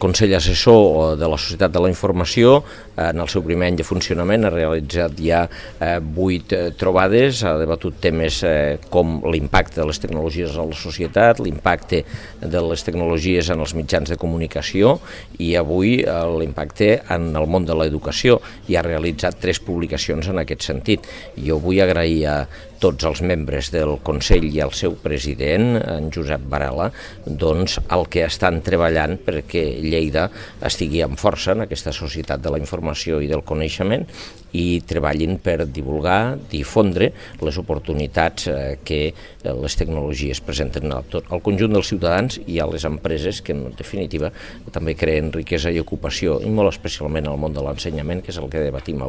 Consell Assessor de la Societat de la Informació, en el seu primer any de funcionament, ha realitzat ja 8 trobades, ha debatut temes com l'impacte de les tecnologies a la societat, l'impacte de les tecnologies en els mitjans de comunicació i avui l'impacte en el món de l'educació, i ha realitzat 3 publicacions en aquest sentit. Jo vull agrair a tots els membres del Consell i al seu president, en Josep Varela, doncs el que estan treballant perquè Lleida estigui amb força en aquesta societat de la informació i del coneixement i treballin per divulgar, difondre les oportunitats que les tecnologies presenten al conjunt dels ciutadans i a les empreses que, en definitiva, també creen riquesa i ocupació, i molt especialment al món de l'ensenyament, que és el que debatim avui.